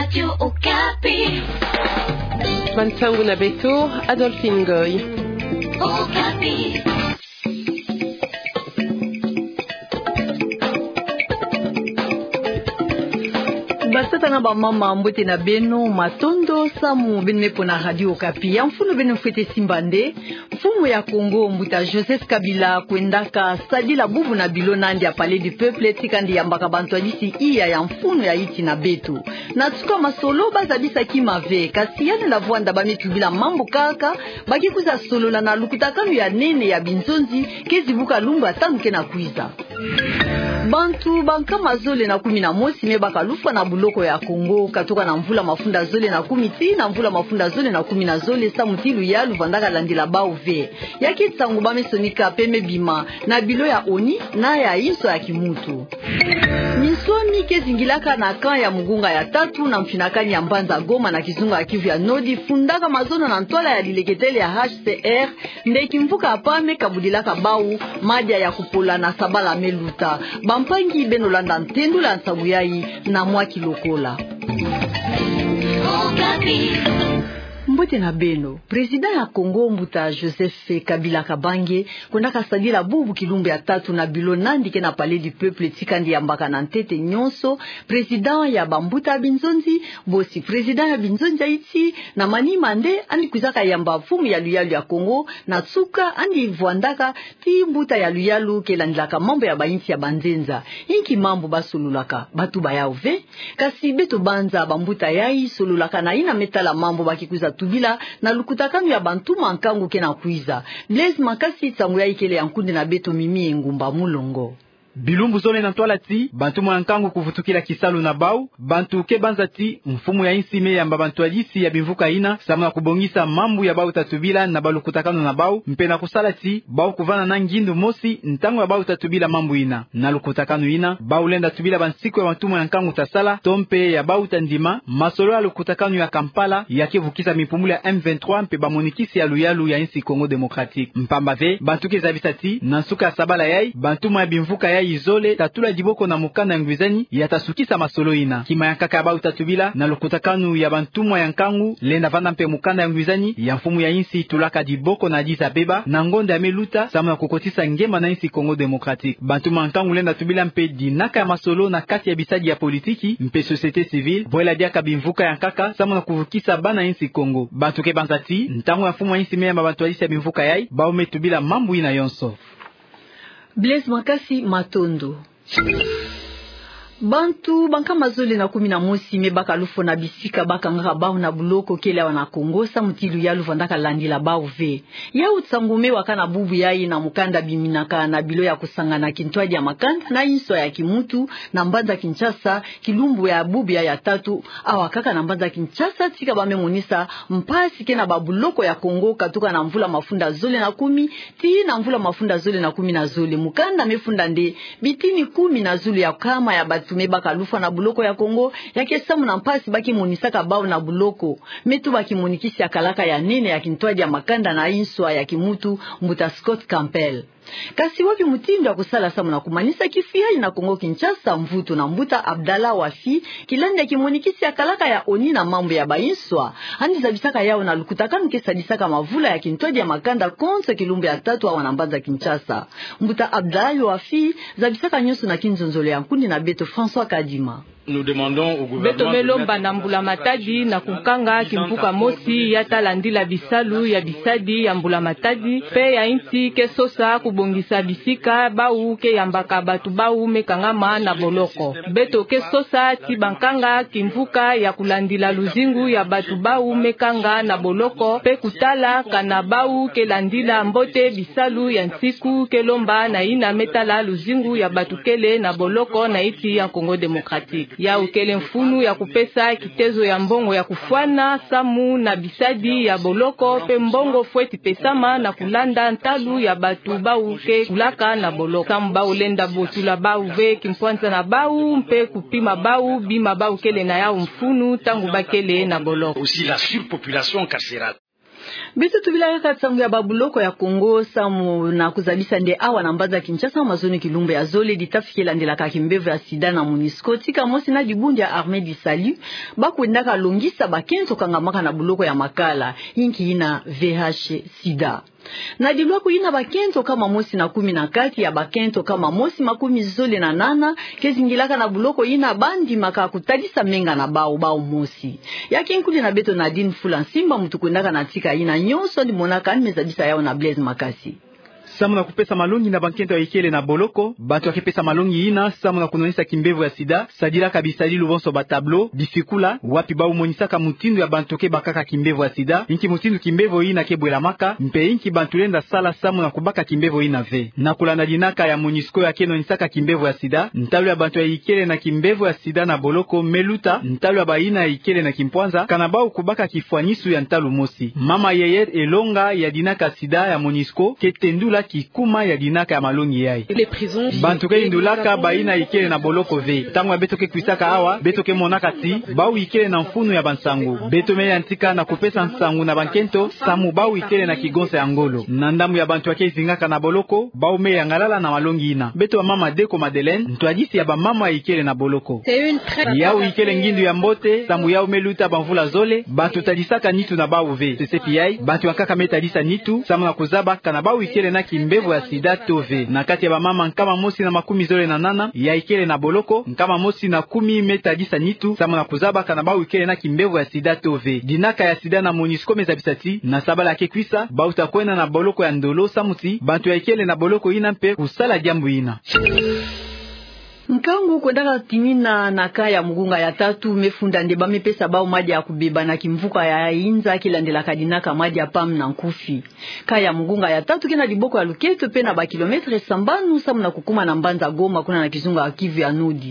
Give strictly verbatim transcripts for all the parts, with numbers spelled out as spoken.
Radio Okapi. Bansangu na beto, Adolphine Ngoy. Okapi. Batata na bamama, mbote na beno, matondo samu beno me pona Radio Okapi. Ya mfunu beno fwete simba nde, mfumu ya Congo, mbuta Joseph Kabila, kwendaka sadila bubu na bilo nandi ya Palais du Peuple, tika nde yambaka bantwadisi iya ya mfunu ya insi na beto. Na nsuka masolo, bazabisa kima ve, kasi yandi na vwanda ba me tubila mambu kaka, ba ke kwiza solola na lukutakanu ya nene ya binzonzi, kezi buka lumbu ya tanu ke na kwiza. Bantu bankama zole na kumi na mosi me baka lufwa na buloko ya Congo, katuka na mvula mafunda zole na kumi tii na mvula mafunda zole na kumi na zole, samu ti luyalu vandaka landila bau ve. Ya ke nsangu ba me sonika pe me bima na bilo ya ONU na ya inso ya kimuntu. Minsoni ke zingilaka na camp ya Mugunga ya tatu na mfinakani ya mbanza Goma na kizunga ya Kivu ya Nord, fundaka mazono na ntwala ya lileketele ya H C R, nde kimvuka ya pame kabudilaka bau madia ya kupola na sabala me luta. Bampangi, beno landa ntendula nsangu yayi na mwa kilokola. Mbote na beno. Président ya Congo, mbuta Joseph Kabila Kabange, kwendaka sadila bubu kilumbu ya tatu na bilo nandi ke na Palais du Peuple, tika nde yambaka na ntete nyonso président ya bambuta binzonzi, bosi président ya binzonzi ya insi, na manima nde yandi kwizaka yamba mfumu ya luyalu ya Congo, na nsuka yandi vwandaka ti mbuta ya luyalu ke landilaka mambu ya bainsi ya banzenza. Inki mambu ba sololaka? Ba tuba yau ve. Kasi beto banza bambuta yayi, sololaka na yina me tala mambu ba ke kwiza tubila na lukutakanu ya bantuma nkangu ke na kwiza. Blaise Makasi, nsangu yayi kele ya nkundi na beto Mimi Engumba Mulongo. Bilumbu zole na ntwala ti bantuma ya nkangu kuvutukila kisalu na bau, bantu ke banza ti mfumu ya insi me yamba bantwadisi ya bimvuka yina samu na kubongisa mambu ya bau ta tubila na balukutakanu na bau, mpe na kusala ti bau kuvanda na ngindu mosi ntangu ya bau ta tubila mambu yina. Na lukutakanu yina, bau lenda tubila bansiku ya bantuma ya nkangu ta sala, to mpe ya bau ta ndima masolo ya lukutakanu ya Kampala, ya ke vukisa mipumbulu ya M vingt-trois mpe bamonikisi ya luyalu ya insi Congo Démocratique. Mpamba ve, bantu ke zabisa ti na nsuka ya sabala yayi, bantuma ya bimvuka yayi zole ta tula diboko na mukanda ya ngwizani ya ta sukisa masolo yina. Kima ya nkaka ya bau ta tubila na lukutakanu ya bantuma ya nkangu, lenda vanda mpe mukanda ya ngwizani ya mfumu ya insi tulaka diboko na Addis Abeba na ngonda ya me luta, samu na kukotisa ngema na insi Congo Démocratique. Bantuma ya nkangu lenda tubila mpe dinaka ya masolo na kati ya bisadi ya politiki mpe société civile, bwela diaka bimvuka ya nkaka samu na kuvukisa bana insi Congo. Bantu ke banza ti ntangu ya mfumu ya insi me yamba bantwadisi ya bimvuka yayi, bau me tubila mambu yina yonso. Blaise Makasi, matondo. Bantu bankama zole na kumi na mosi me baka lufwa na bisika ba kangaka bau na buloko kele awa na Congo, samu ti luyalu vandaka landila bau ve. Yau nsangu me waka na bubu yayi na mukanda biminaka na bilo ya kusangana kintwadi ya makanda na inso ya kimuntu na mbanza Kinshasa, kilumbu ya bubu yayi ya tatu, awa kaka na mbanza Kinshasa, tika ba me monisa mpasi ke na babuloko ya Congo, katuka na mvula mafunda zole na kumi tii na mvula mafunda zole na kumi na zole. Mukanda me funda nde bitini kumi na zulu ya nkama ya bantu me baka lufwa na buloko ya Congo, ya ke samu na mpasi ba ke monisaka bau na buloko, me tuba kimonikisi ya kalaka ya nene ya kintwadi ya makanda na inso ya kimuntu, mbuta Scott Campbell. Kasi wapi mutindu ya kusala samu na kumanisa kifi yayi na Congo Kinshasa? Mvutu na mbuta Abdallah Wafi, kilandi ya kimonikisi ya kalaka ya ONU na mambu ya bainso, yandi zabisaka yau na lukutakanu ke sadisaka mavula ya kintwadi ya makanda konso kilumbu ya tatu awa na mbanza Kinshasa. Mbuta Abdallah Wafi zabisaka nyonso na kinzonzolo ya nkundi na beto François Kadima. Beto me lomba na mbula matadi na kukanga kimvuka mosi ya ta landila bisalu ya bisadi ya mbula matadi, mpe ya insi ke sosa kubongisa bisika bau ke yambaka bantu bau me kangama na boloko. Beto ke sosa ti bankanga kimvuka ya kulandila luzingu ya bantu bau me kanga na boloko, mpe kutala kana bau ke landila mbote bisalu ya nsiku ke lomba na yina me tala luzingu ya bantu kele na boloko na insi ya Congo Démocratique. Yau kele mfunu ya kupesa kitezo ya mbongo ya kufwana samu na bisadi ya boloko, mpe mbongo fweti pesama na kulanda ntalu ya bantu bau ke kulaka na boloko. Samu bau lenda botula bau ve kimpwanza na bau, mpe kupima bau bima bau kele na yau mfunu ntangu ba kele na boloko. Aussi la surpopulation carcérale. Beto tubila kaka nsangu ya babuloko ya Kongo, samu na kuzabisa nde awa na mbanza Kinshasa, mazono kilumbu ya zole, dita fike landelaka kimbevo ya sida na MONUSCO, tika mosi na dibundu ya Armée du Salut, ba kwendaka longisa bakento kangamaka na buloko ya makala, inki yina V I H sida. Na dilwaku yina, bakento nkama mosi na kumi na kati ya bakento nkama mosi makumi zole na nana ke zingilaka na buloko yina, ba ndimaka kutadisa menga na bawu, bawu mosi. Ya ke nkundi na beto Nadine Fula Nsimba, muntu kwendaka na tika yina nyonso, yandi monaka, yandi me zabisa yawu na Blaise Makasi. Samu na kupesa malongi na bankento ya ikele na boloko, bantu ya ke pesa malongi yina samu na kunwanisa kimbevo ya sida, sadilaka bisadilu bonso, ba tableau, bisikula, wapi bawu monisaka mutindu ya bantu ke bakaka kimbevo ya sida, inki mutindu kimbevo yina ke bwelamaka, mpe inki bantu lenda sala samu na kubaka kimbevo yina ve. Na kulanda dinaka ya MONUSCO ya ke nwanisaka kimbevo ya sida, ntalu ya bantu ya ikele na kimbevo ya sida na boloko me luta ntalu ya bayina ya ikele na kimpwanza, kana bawu kubaka kifwanisu ya ntalu mosi. Mama Yeyette Elonga ya dinaka sida ya MONUSCO ke tendula kikuma ya dinaka ya malongi yayi. Bantu ke yindulaka bayina ya ikele na boloko ve. Ntangu ya beto ke kwisaka awa, beto ke monaka ti bawu ikele na mfunu ya bansangu. Beto me yantika na kupesa nsangu na bankento samu bawu ikele na kigonsa ya ngolo. Na ndambu ya bantu ya ke zingaka na boloko, bawu me yangalala na malongi yina. Beto ya mama Deko Madeleine, ntwadisi ya bamama ya ikele na boloko. Yawu ikele ngindu ya mbote, samu yawu me luta bamvula zole, bantu tadisaka nitu na bawu ve. Sesepi yayi, bantu ya nkaka me tadisa nitu samu na kuzaba kana bawu ikele na kimbevo ya sida to ve. Na kati ya bamama nkama mosi na makumi zole na nana ya ikele na boloko, nkama mosi na kumi me tadisa nitu samu na kuzaba kana bawu ikele na kimbevo ya sida to ve. Dinaka ya sida na MONUSCO me zabisa ti na sabala ya ke kwisa, bawu ta kwenda na boloko ya Ndolo samu ti bantu ya ikele na boloko yina mpe kusala diambu yina. Nkangu kwendaka timina na camp ya Mugunga ya tatu me funda nde ba me pesa bawu madi ya kubeba na kimvuka ya inza ke landelaka dinaka madi ya PAM na nkufi. Camp ya Mugunga ya tatu ke na diboko ya Luketo, pena ba kilomètre sambanu samu na kukuma na mbanza Goma, kuna na kizunga ya Kivu ya Nord.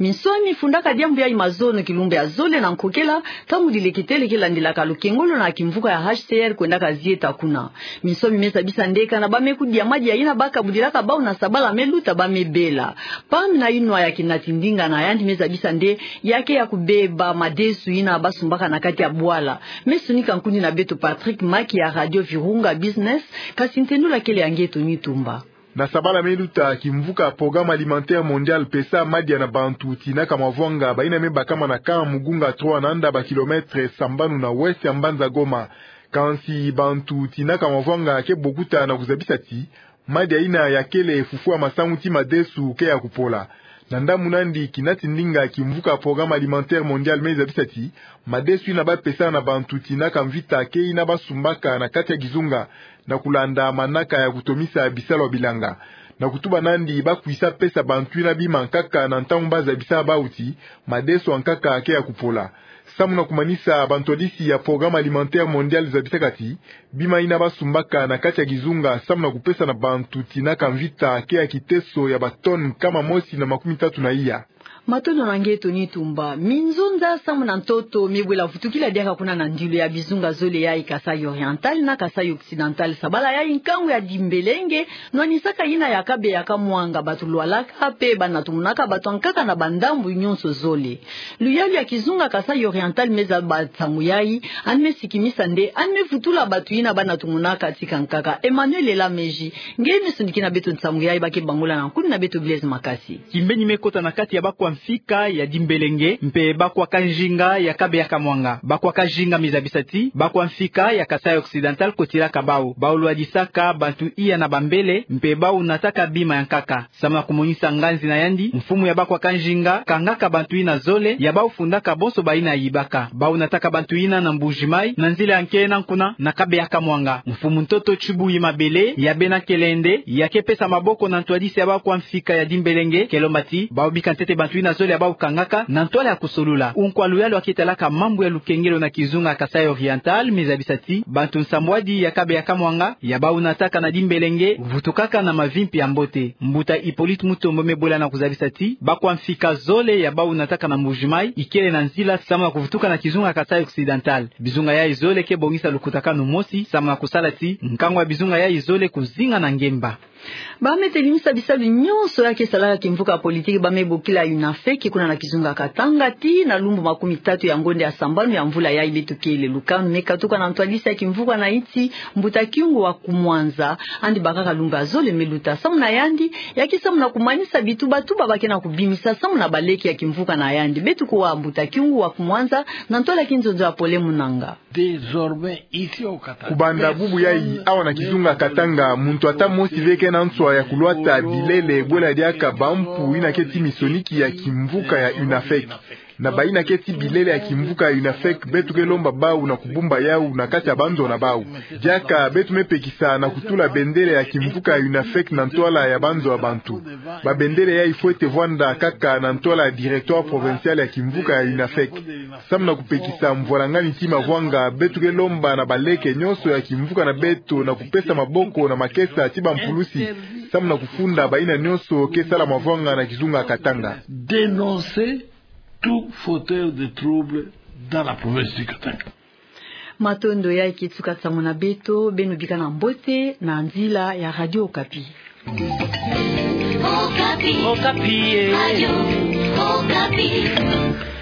Minsoni fundaka diambu yayi mazono kilumbu ya zole na nkokela, ntangu dileketele ke landelaka lukengolo na kimvuka ya H C R kwendaka zieta kuna. Minsoni me zabisa nde kana ba me kudia madi yayina ba kabudilaka bawu na sabala me luta ba me bela. PAM na yinwa ya kinati ndinga na yandi me zabisa nde ya ke ya kubeba madesu yina ba sumbaka na kati ya bwala. Me sonika nkundi na beto Patrick Maki ya Radio Virunga Business, kasi ntendula kele ya Ngeto Nitumba. Na sabala me luta, kimvuka Programme Alimentaire Mondial pesa madi ya na bantu tina kamavwanga bayina me bakama na camp Mugunga trois, na nda ba kilomètre sambanu na ouest ya mbanza Goma. Kansi bantu tina kamavwanga ke bokuta na kuzabisa ti madi yayina ya kele fufwa masamu ti madesu ke ya kupola. Na ndambu nandi, kinati ndinga kimvuka Programme Alimentaire Mondial me zabisa ti madesu yina ba pesa na bantu tina kamvita ke yina ba sumbaka na kati ya kizunga, na kulanda manaka ya kutomisa bisalu ya bilanga. Na kutuba nandi, ba kwisa pesa bantu yina bima nkaka na ntangu ba zabisa bawu ti madesu ya nkaka ke ya kupola. Samu na kumanisa, bantwadisi ya Programme Alimentaire Mondial zabisaka ti bima yina ba sumbaka na kati ya kizunga samu na kupesa na bantu tina kamvita ke ya kiteso ya ba tonnes nkama mosi na makumi tatu na iya. Matondo na Ngeto Nitumba. Minzonza samu na ntoto me bwela vutukila diaka kuna na ndilu ya bizunga zole yayi Kasaï Oriental na Kasaï Occidental. Sabala yayi nkangu ya Dimbelenge, nwanisaka yina ya Kabe ya Kamwanga, bantu lwalaka mpe banatumunaka bantu ya nkaka na bandambu nyonso zole. Luyalu ya kizunga Kasaï Oriental me zaba nsangu yayi, yandi me sikimisa nde yandi me vutula bantu yina banatumunaka tika nkaka. Emmanuel Elameji, nge me sonikina beto nsangu yayi ba ke bangula na nkundi na beto Blaise Makasi. Kimbeni me kota na kati ya bakwa mfika ya Dimbelenge mpe bakwa kanzinga ya Kabe ya Kamwanga. Bakwa kanzinga me zabisa ti bakwa mfika ya Kasaï Occidental kotilaka bawu. Bawu lwadisaka bantu iya na bambele mpe bawu nataka bima ya nkaka. Samu na kumonisa nganzi na yandi, mfumu ya bakwa kanzinga kangaka bantu yina zole ya bawu fundaka bonso bayina yibaka. Bawu nataka bantu yina na Mbuji Mayi, na nzila ya nkee na nkuna na Kabe ya Kamwanga. Mfumu ntoto Tshibuyi Mabele ya bena Kelende ya ke pesa maboko na ntwadisi ya bakwa mfika ya Dimbelenge, ke lomba ti bawu bika ntete bantu yina zole ya bawu kangaka na ntwala ya kusolula. Unkwa luyalu ya ke talaka mambu ya lukengelo na kizunga Kasaï Oriental me zabisa ti bantu nsambwadi ya Kabe ya Kamwanga ya bawu nataka na Dimbelenge vutukaka na mavimpi ya mbote. Mbuta Hippolyte Mutombo me bwela na kuzabisa ti bakwa mfika zole ya bawu nataka na Mbuji Mayi ikele na nzila samu na kuvutuka na kizunga Kasaï Occidental. Bizunga yayi zole ke bongisa lukutakanu mosi samu na kusala ti nkangu ya bizunga yayi zole kuzinga na ngemba. Ba me telimisa bisalu nyonso ya ke salaka kimvuka ya politiki ba me bokila UNAFEC, kuna na kizunga Katanga, tii na lumbu makumi tatu ya ngonde ya sambanu ya mvula yayi beto kele. Lukanu me katuka na ntwadisi ya kimvuka na insi, Mbuta Kyungu wa Kumwanza, andi bakaka lumbu ya zole me luta. Samu na yandi, ya ke samu na kumanisa bituba-tuba ba ke na kubimisa samu na baleke ya kimvuka na yandi. Beto kuwa Mbuta Kyungu wa Kumwanza, na ntwala ya kinzonzo ya Pole Munanga. Désormais, ici au Katanga, kubanda bubu yayi, awa na kizunga Katanga, muntu ata mosi ve ke na nswa ya kulwata bilele bwela diaka bampu yina ke tii misoniki ya kimvuka ya UNAFEC. Na bayina ke tii bilele ya kimvuka ya UNAFEC, beto ke lomba bau na kubumba yau na kati ya banzo na bau. Diaka beto me pekisa na kutula bendele ya kimvuka ya UNAFEC na ntwala ya banzo ya bantu. Babendele yayi fwete vwanda kaka na ntwala ya directoire provincial ya kimvuka ya UNAFEC. Samu na kupekisa mvwalangani tii mavwanga, beto ke lomba na baleke nyonso ya kimvuka na beto na kupesa maboko na makesa tii bampulusi, samu na kufunda bayina nyonso ke sala mavwanga na kizunga Katanga. Dénoncer tout fauteur de trouble dans la province du Katanga. Matondo ya ke tuka nsangu na beto, beno bika na mbote na nzila ya Radio Okapi. Okapi. Okapi, eh. Radio Okapi.